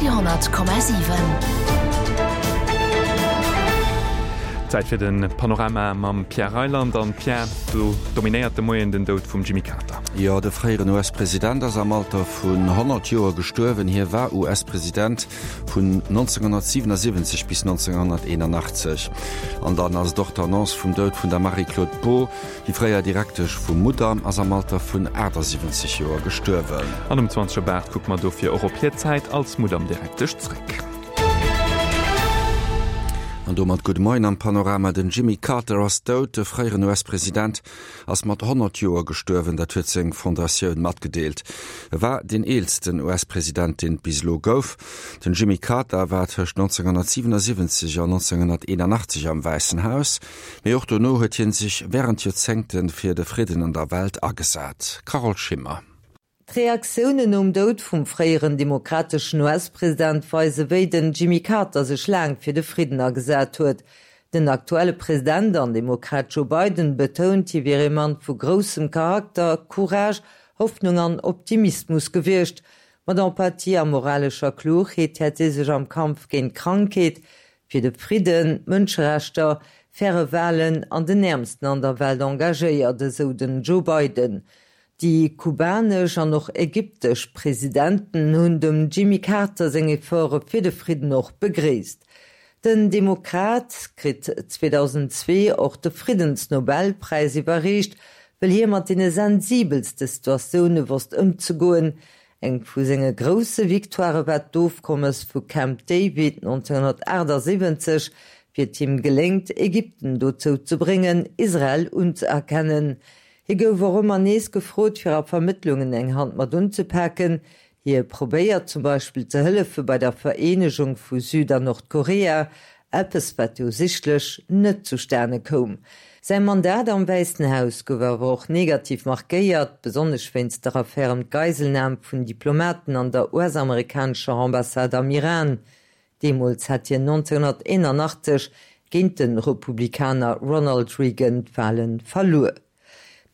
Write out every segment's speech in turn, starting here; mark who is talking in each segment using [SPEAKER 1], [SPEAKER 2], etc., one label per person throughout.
[SPEAKER 1] Radio 10,7.
[SPEAKER 2] Zäit fir de Panorama mam Pierre Reyland. An Pierre, do dominéiert de Moien den Doud vum Jimmy Carter.
[SPEAKER 3] Jo, de fréieren US-President ass am Alter vun 100 Joer gestuerwen. Hie war US-President vun 1977 bis 1981. An dann ass et och d'Annonce vum Doud vun der Marie-Claude Beaud. Déi fréier Direktesch vum Mudam ass am Alter vun 78 Joer gestuerwen.
[SPEAKER 2] An um 20 op 8 kucke mer dofir och op hir Zäit als Mudam-Direktesch zréck.
[SPEAKER 3] An domat gudde Moien am Panorama. Den Jimmy Carter ass dout. De fréieren US-President ass mat 100 Joer gestuerwen, dat huet seng Fondatioun matgedeelt. E war deen eelsten US-President, deen et bis elo gouf. Den Jimmy Carter war tëscht 1977 an 1981 am Wäissen Haus. Mee och dono huet hien sech wärend Joerzéngte fir de Fridden an der Welt agesat. Carole Schimmer.
[SPEAKER 4] D'Reaktiounen nom Doud vum fréieren demokrateschen US-President weise wéi den Jimmy Carter sech laang fir de Fridden agesat huet. Den aktuelle President an Demokrat Joe Biden betount, hie wier ee Mann vu groussem Charakter, Courage, Hoffnung an Optimismus gewiescht. Mat Empathie a moralescher Klugheet hätt hie sech am Kampf géint d'Krankheet, fir de Fridden, d'Mënscherechter, faire Walen an den Äermsten an der Welt engagéiert, esou den Joe Biden. Déi kubanesch an och ägyptesch Presidenten hunn dem Jimmy Carter seng Efforte fir de Fridden och begréisst. Den Demokrat kritt 2002 och de Friddensnobelpräis iwwerreecht, wëll hie mat deene sensibelste Situatioune wosst ëmzegoen, Eng vu senge grousse Victoirë war d'Ofkommes vu Camp David 1978, wéi et him geléngt, Ägypten dozou ze bréngen, Israel unzëerkennen. Hie gouf och ëmmer nees gefrot, fir a Vermëttlungen eng Hand mat unzepaken. Hie probéiert zum Beispill ze hëllefe bei der Vereenegung vu Süd an Nordkorea, Eppes, wat jo sichtlech net zustane koum. Säi Mandat am Wäissen Haus gouf awer och negativ markéiert, besonnesch wéinst der Affär ëm d'Geiselnam vun Diplomaten an der US-amerikanescher Ambassade am Iran. Deemools hat hien 1981 géint de Republikaner Ronald Reagan d'Wale verluer.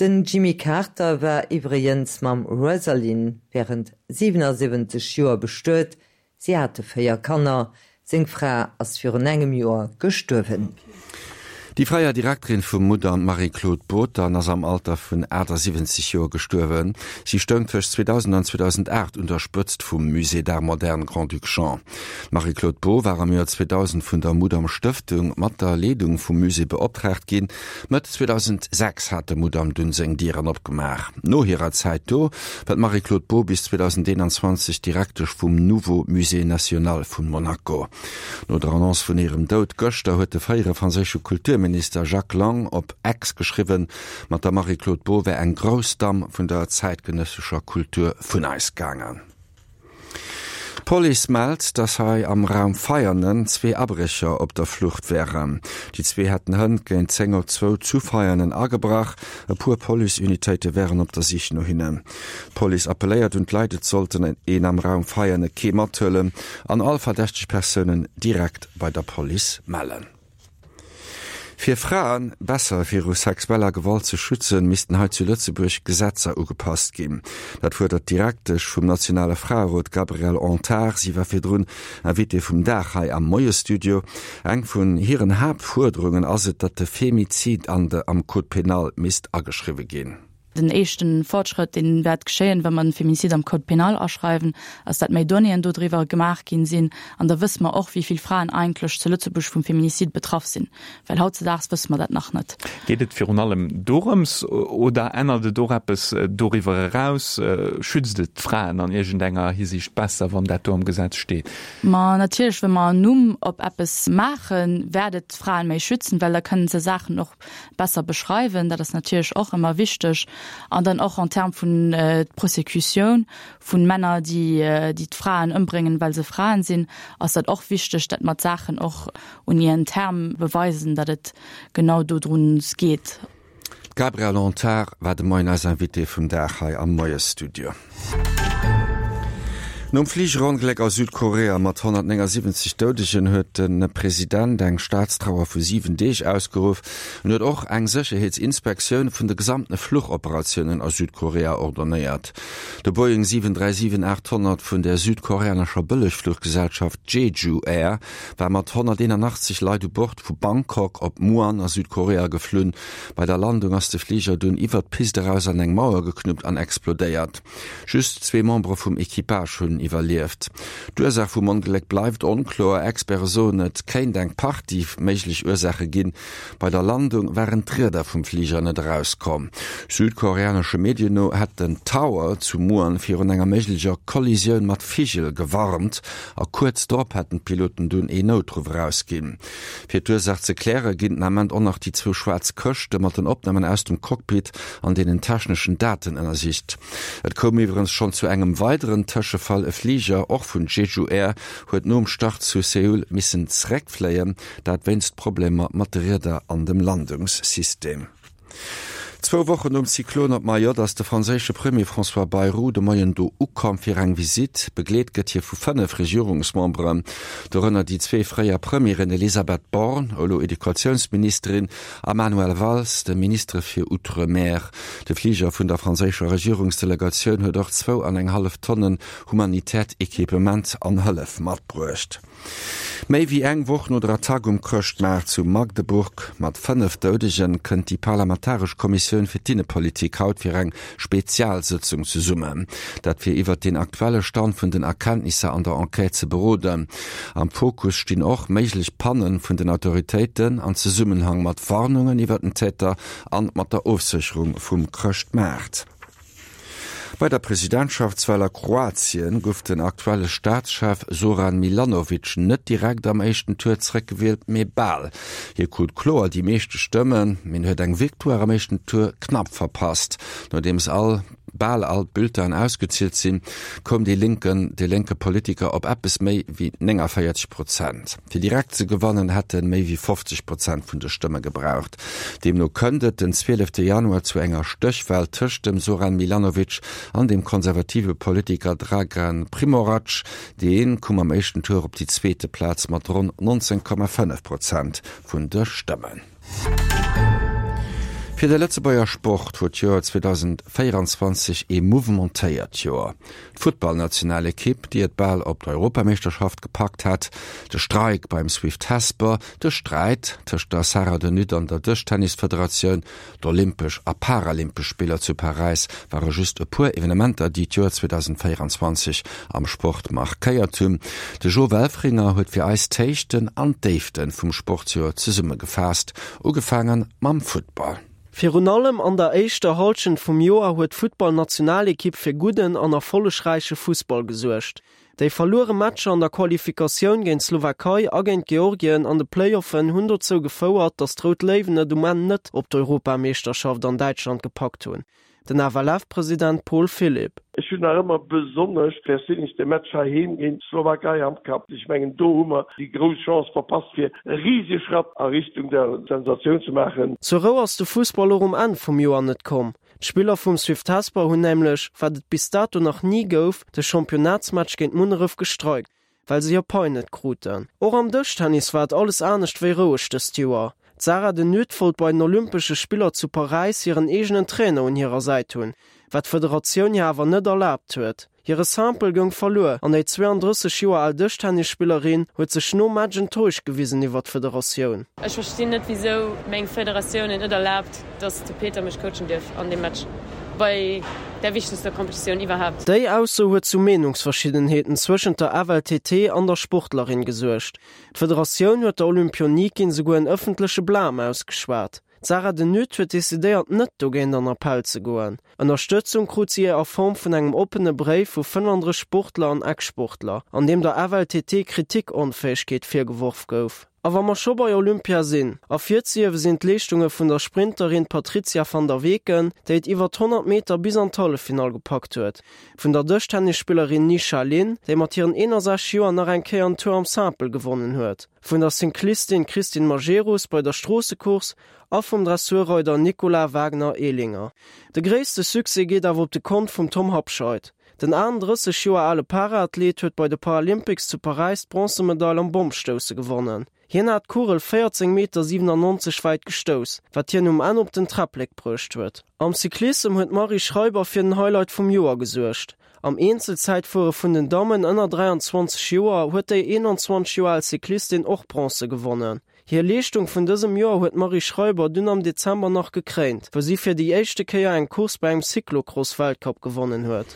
[SPEAKER 4] Den Jimmy Carter war iwwregens mam Rosalynn wärend 77 Joer bestuet, Si hate 4 Kanner. Seng Fra ass virun engem Joer gestuerwen.
[SPEAKER 3] Déi fréier Direkterin vum Mudam, d'Marie-Claude Bothern, ass am Alter vun 78 Joer gestuerwen. Si stoung tëscht 2000 an 2008 un der Spëtzt vum Musée d'Art moderne Grand-Duc Jean. D'Marie-Claude Beaud war am Joer 2000 vun der Mudam Stëftung mat der Leedung vum Musée beoptraagt ginn. Mëtt 2006 hat de Mudam dunn seng Dieren opgemaach. No hirer Zäit do war d'Marie-Claude Beaud bis 2021 Direktesch vum Nouveau Musée National vun Monaco. No der Annonce vun hirem Doud gëschter huet de fréiere franséische Kulturminister Jacques Lang op X geschriwwen, mat der Marie-Claude Beaud wär eng grouss Damm vun der zäitgenëssescher Kultur vun eis gaangen. D'Police mellt, dass hei am Raum Veianen zwee Abrécher op der Flucht wären. Déi zwee hätten hënt géint 10 op zwou zu Veianen agebrach. E puer Policeunitéite wären op der Sich no hinnen. D'Police appelléiert un d'Leit, et sollten een am Raum Veiane kee mathuelen an all verdächteg Persounen direkt bei der Police mellen. Fir Frae besser viru sexueller Gewalt ze schützen, missten hei zu Lëtzebuerg Gesetzer ugepasst ginn. Dat fuerdert d'Direktesch vum nationale Fraerot Gabrielle Antar. Si war virdrun Invitée vum Dag hei am Moie-Studio. Eng vun hiren Haaptfuerderungen ass et, datt de Femizid an de am Code pénal misst ageschriwwe ginn.
[SPEAKER 5] Den éischten Fortschrëtt, deen wäert geschéien, wa mer den Féminicide am Code pénal aschreiwen, ass dat méi Donnéeën dodriwwer gemaach ginn sinn. An da wësse mer och, wéi vill Fraen eigentlech zu Lëtzebuerg vum Féminicide betraff sinn, well hautzedaags wësse mer dat nach net.
[SPEAKER 2] Geet et virun allem dorëms oder ännert et och eppes doriwwer eraus? Schützt et d'Fraen an iergendenger Hisiicht besser, wann dat do am Gesetz steet?
[SPEAKER 5] Ma natierlech, wa mer en Numm op eppes maachen, wäert et d'Fraen méi schützen, well da kënnen se Saachen och besser beschreiwen, dat ass natierlech och ëmmer wichteg, an dann och en termes vun d'Prosécutioun vun Männer, déi déi d'Fraen ëmbréngen, well se Fraen sinn, ass dat och wichteg, dat mer d'Saachen och un ihren Terme beweisen, datt et genau dodruns geet.
[SPEAKER 3] D'Gabrielle Antar war de Moien eis Invitée vum Dag hei am Moiesstudio. Nom Fligerongléck a Südkorea mat 179 Doudegen huet de President eng Staatstrauer vu 7 Deeg ausgeruff. En huet och eng Sécherheetsinspektioun vun de gesamtene Fluchoperatiounen a Südkorea ordonnéiert. De Boeing 737-800 vun der südkoreanescher Bëllegfluchgesellschaft Jeju Air war mat 181 Leit u Bord vu Bangkok op Muan a Südkorea geflunn. Bei der Landung ass de Fliger dunn iwwert d'Pist eraus an eng Mauer geknuppt an explodéiert. Just zwee Membere vum Equipage hunn iwwerlieft. D'Ursaach vum Ongléck bleift onkloer. Experte soen, et kéint eng Partie méiglech Ursaache ginn. Bei der Landung waren d'Rieder vum Fliger net erauskomm. Südkoreanesche Medien no hätt den Tower zu Muan virun enger méiglecher Kollisioun mat Vigel gewarnt a kuerz drop hätten d'Piloten dunn ee Noutruff erausginn. Fir d'Ursaach ze kläre ginn den Ament och nach déi zwou schwaarz Këschte mat den Opnamen aus dem Cockpit an deenen techneschen Daten ënnersicht. Et koum iwwerens schonn zu engem weideren Tëschefall, E Fliger, och vun Jeju Air, huet nom Start zu Seoul missen zeréckfléien, dat wéinst Problemer mat de Rieder an dem Landungssystem. Zwou Wochen nom Zyklon op Mayotte ass de franséische Premier François Bayrou de Moien do ukomm fir eng Visitt. Begleet gëtt hie vu 5 Regierungsmemberen, dorënner déi zwee fréier Premieren Elisabeth Borne, elo Educatiounsministerin, a Manuel Valls, de Ministere fir Outre-mer. De Fliger vun der franséischer Regierungsdelegatioun huet och zwou an eng hallef Tonnen humanitäert Equipement an Hëllef matbruecht. Méi wéi eng Woch no der Attack um Chrëschtmaart zu Magdeburg mat 5 Doudegen, kënnt déi parlamentaresch Kommissioun fir d'Innepolitik haut fir eng Spezialsëtzung zesummen. Dat fir iwwert den aktuelle Stand vun den Erkenntnisser an der Enquête ze beroden. Am Fokus stinn och méiglech Panne vun den Autoritéiten an Zesummenhang mat Warnungen iwwer den Täter an mat der Ofsécherung vum Chrëschtmaart. Bei der Presidentschaftswal a Kroatien gouf den aktuelle Staatschef Zoran Milanovic net direkt am éischten Tour zeréckgewielt, mee bal. Hie krut kloer déi meeschte Stëmmen, mee en huet eng Victoire am éischten Tour knapp verpasst. Nodeems all bal all d'Bulletinen ausgezielt sinn, koum dee lénken de lénke Politiker op eppes méi wéi 49 Prozent. Fir direkt ze gewannen, hätt en méi wéi 50 Prozent vun de Stëmme gebraucht. Deemno kënnt et den 12 Januar zu enger Stéchwal tëscht dem Zoran Milanovic an dem konservative Politiker Dragan Primorac. Dee koum am éischten Tour op déi zweete Plaz mat ronn 19,5 Prozent vun de Stëmmen. Fir de Lëtzebuerger Sport wor d'Joer 2024 ee mouvementéiert Joer. D'Futtballnationalekipp, déi et bal op d'Europameeschterschaft gepackt hat, de Streik beim Swift Hesper, de Sträit tëscht der Sarah De Nutte an der Dëschtennisfederatioun, d'Olympesch a Paralympesch Spiller zu Paräis ware just e puer Evenementer, déi d'Joer 2024 am Sport markéiert hunn. De Jo Welfringer huet fir eis d'Héichten an d'Déifte vum Sportsjoer zesummegefaasst, ugefaange mam Futtball.
[SPEAKER 6] Virun allem an der éischter Hallschent vum Joer huet d'Futtballnationalekipp fir gudden an erfollegräiche Fussball gesuergt. Déi verluere Matcher an der Qualifikatioun géint d'Slowakei a géint Georgien an de Playoffen hunn dozou gefouert, datt d'Rout Léiwen et um Enn net op d'Europameeschterschaft an Däitschland gepackt hunn. Den FLF-President Paul Philipp.
[SPEAKER 7] Ech hunn nach ëmmer besonnesch perséinlech de Match heiheem géint d'Slowakei am Kapp. Ech mengen do hu mer déi grouss Chance verpasst fir e risege Schratt a Richtung der Sensatioun ze maachen.
[SPEAKER 6] Zur Rou ass de Fussball och um Enn vum Joer net komm. D'Spiller vum Swift Hesper hunn nämlech, wat et bis dato nach ni gouf, de Championnatsmatch géint Munneref gestreikt, well se hir Pai net kruten. Och am Dëschtennis war et alles anescht wéi roueg dëst Joer. D'Sarah de Nutte wollt bei den Olympesche Spiller zu Paräis hiren eegenen Trainer un hirer Säit hunn, wat d'Federatioun hir awer net erlaabt huet. Hire Simple goung verluer an déi 32 Joer al Dëschtennisspillerin huet sech nom Match enttäuscht gewisen iwwer d'Federatioun.
[SPEAKER 8] Ech verstinn net wisou meng Federatioun et net erlaabt, dass de Peter mech coachen dierf an deem Match bei der wichtegster Competitioun iwwerhaapt.
[SPEAKER 6] Déi Ausso huet zu Meenungsverschiddenheeten zwëschent der FLTT an der Sportlerin gesuergt. D'Federatioun huet der Olympionikin souguer en ëffentleche Blâme ausgeschwat. D'Sarah de Nutte huet decidéiert net dogéint an Appell ze goen. Ënnerstëtzung krut si a Form vun engem oppene Bréif vu 35 Sportler an Ex-Sportler, an deem der FLTT Kritikonfäegkeet virgeworf gouf. A wa mer scho bei Olympia sinn, ervirzehiewe sinn d'Leeschtunge vun der Sprinterin Patrizia van der Weken, déi et iwwer 100 Meter bis an d'Halleffinall gepackt huet, vun der Dëschtennisspillerin Nisha Lin, déi mat hiren 61 Joer nach eng Kéier en Tour am Simple gewonnen huet. Vun der Cyclistin Christine Majerus bei der Stroossecourse a vum Dressurreider Nicolas Wagner-Ehlinger. De gréisste Succès geet awer op de Kont vum Tom Habscheid. Den 38 Joer ale Paraathlet huet bei de Paralympics zu Paräis d'Bronzemedail am Bommstousse gewonnen. Hien hat d'Kugel 14 Meter 97 wäit gestouss, wat hien um Enn op den Träpplek bruecht huet. Am Cyclissem huet d'Marie Schreiber fir den Highlight vum Joer gesuergt. Am Eenzelzäitfuere vun den Dammen ënner 23 Joer huet déi 21 Joer al Cyclistin och Bronze gewonnen. Hir Leeschtung vun dësem Joer huet d'Marie Schreiber dunn am Dezember nach gekréint, wou si fir déi éischte Kéier eng Course bei engem Cyclocross-Weltcup gewonnen huet.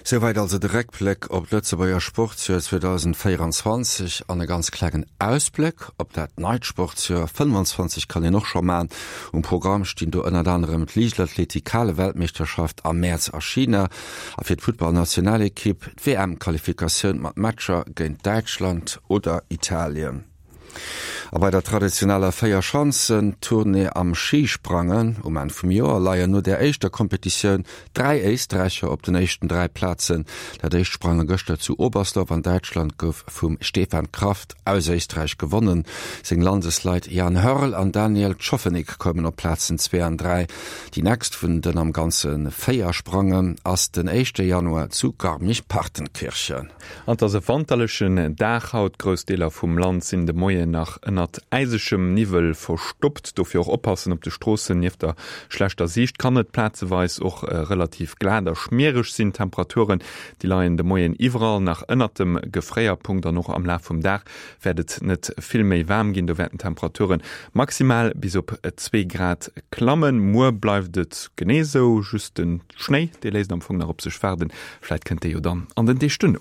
[SPEAKER 3] Souwäit also de Réckbléck op d'Lëtzebuerger Sportsjoer 2024 an e ganz klengen Ausbléck op dat neit Sportsjoer 25 kann een och scho man. Um Programm stinn do ënnert anerem d'Liichtathletik-Hale-Weltmeeschterschaft am Mäerz a China a fir d'Futtballnationalekipp d'WM-Qualifikatioun mat Matcher géint Däitschland oder Italien. A bei der traditioneller Véierschanzentournée am Schisprangen um Enn vum Joer leien no der éischter Kompetitioun 3 Éisträicher op den éischten 3 Plazen. Dat éischt Sprange gëschter zu Oberstdorf an Däitschland gouf vum Stefan Kraft aus Éisträich gewonnen. Seng Landesleit Jan Hörl an Daniel Tschofenig koumen op Plazen 2 an 3. Déi nächst vun den am Ganze 4 Sprangen ass den éischte Januar zu Garmisch-Partenkirchen.
[SPEAKER 2] An et ass e wanterlechen Dag haut. Grouss Deeler vum Land sinn de Moien nach ënnert äisegem Niwwel verstoppt. Dofir och oppassen op de Stroossen. Nieft der schlechter Siicht kann et plazeweis och relativ glat a schmiereg sinn. D'Temperaturen, déi leien de Moien iwwerall nach ënnert dem Gefréierpunkt an och am Laf vum Dag wäert et net vill méi waarm ginn. Do wäerten d'Temperature maximal bis op 2 Grad klammen. Muer bleift et genee esou, just de Schnéi, dee léisst am Fong nach op sech waarden. Vläit kënnt dee jo dann an den Deeg duerno.